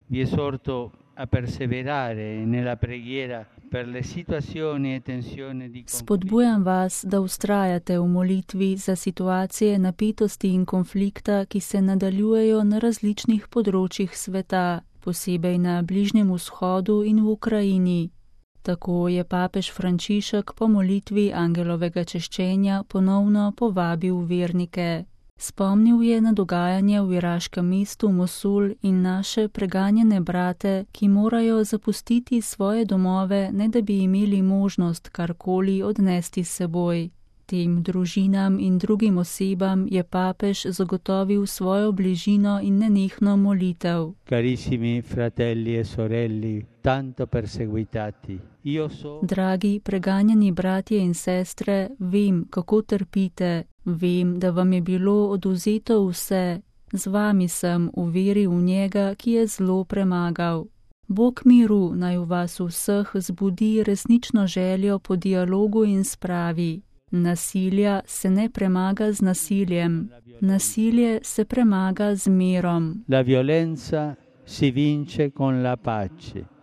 Vi esorto a perseverare nella preghiera per le situazioni e tensioni di conflitto. Spodbujam vas, da ustrajate v molitvi za situacije napetosti in konflikta, ki se nadaljujejo na različnih področjih sveta, posebej na Bližnjem vzhodu in v Ukrajini. Tako je papež Frančišek po molitvi angelovega češčenja ponovno povabil vernike. Spomnil je na dogajanje v iraškem mestu Mosul in naše preganjene brate, ki morajo zapustiti svoje domove, ne da bi imeli možnost karkoli odnesti s seboj. Tem družinam in drugim osebam je papež zagotovil svojo bližino in nenehno molitev. Carissimi fratelli e sorelle, tanto perseguitati, Dragi preganjeni bratje in sestre, vem, kako trpite, vem, da vam je bilo odvzeto vse, z vami sem v veri v njega, ki je zlo premagal. Bog miru naj v vas vseh zbudi resnično željo po dialogu in spravi. Nasilja se ne premaga z nasiljem, nasilje se premaga z mirom. La violenza si vince con la pace.